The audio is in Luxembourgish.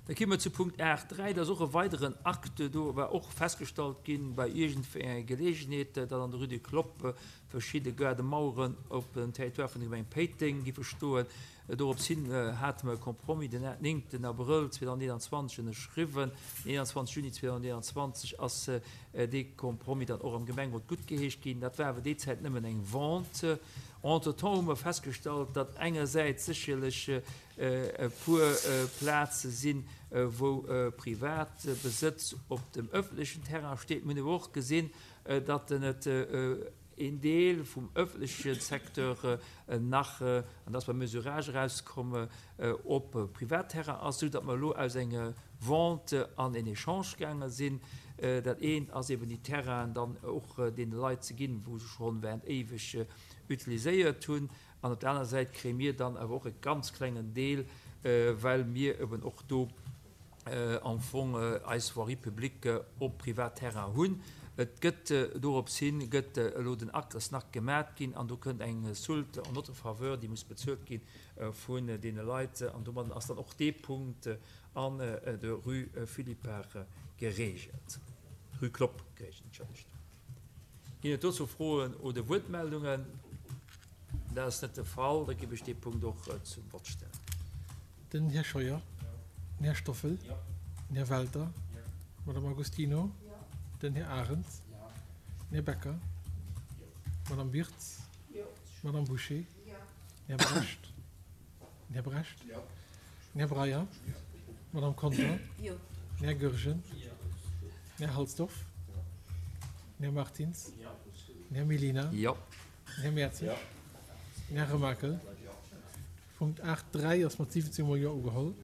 Da komme mer zu Punkt 8.3, dat ass och e weideren Acte. Do war och festgestallt ginn, bei iergendwéi enger Geleegenheet, datt an der Rue du Clopp verschidde Gaardemaueren op dem Territoire vun der Gemeng Péiteng giffe stoen. Dorops hin hate mer e Compromis den 9 Abrëll 2021 ënnerschriwwen. Den 21 Juni 2021 ass dee Compromis dann och am Gemengerot guttgeheescht ginn. Dat war awer déi Zäit nëmmen eng Vente. Entretemps hu mer festgestallt, datt engersäits sécherlech e puer Plaze sinn, wou Privatbesëtz op dem ëffentlechen Terrain steet. Mir hunn awer och gesinn, datt et een Deel vum ëffentleche Secteur nach, an dat ass beim Mesurage erauskomm, op Privatterrain ass, esou datt mer elo aus enger Vente an en Echange gaange sinn. Dat eent ass eben déi Terrainen dann och deene Leit ze ginn, wou se schonn während éiweg utiliséiert hunn. An op der aner Säit kréie mir dann awer och e ganz klengen Deel, well mir eben och do am Fong eis Voirie publique op Privatterrain hunn. Et gëtt dorops hin gëtt elo den Acte ass nach gemat ginn an do kënnt eng Soulte en notre faveur, déi muss bezuelt gi vun deene Leit an domadden ass dann och dee Punkt an der Rue Philippart geregelt, Rue Clopp geregelt, entschëllegt. Ginn et dozou Froen oder Wuertmeldungen? Dat ass net de Fall. Da géif ech dee Punkt och zum Vott stellen. Den Här Scheuer, den Här Stoffel, den Här Welter, d'Madame Agostino, den Här Arendt, den Här Becker, d'Madame Wirtz, d'Madame Bouché, den Här Brecht, Den Här Brecht. Den Här Breyer. D'Madame Conter. Den Här Goergen. Den Här Halsdorf. Den Här Martins. Den Här Mellina. Den Här Mertzig. Den Här Remakel. Punkt 8, 3 ass mat 17 mol Jo ugeholl.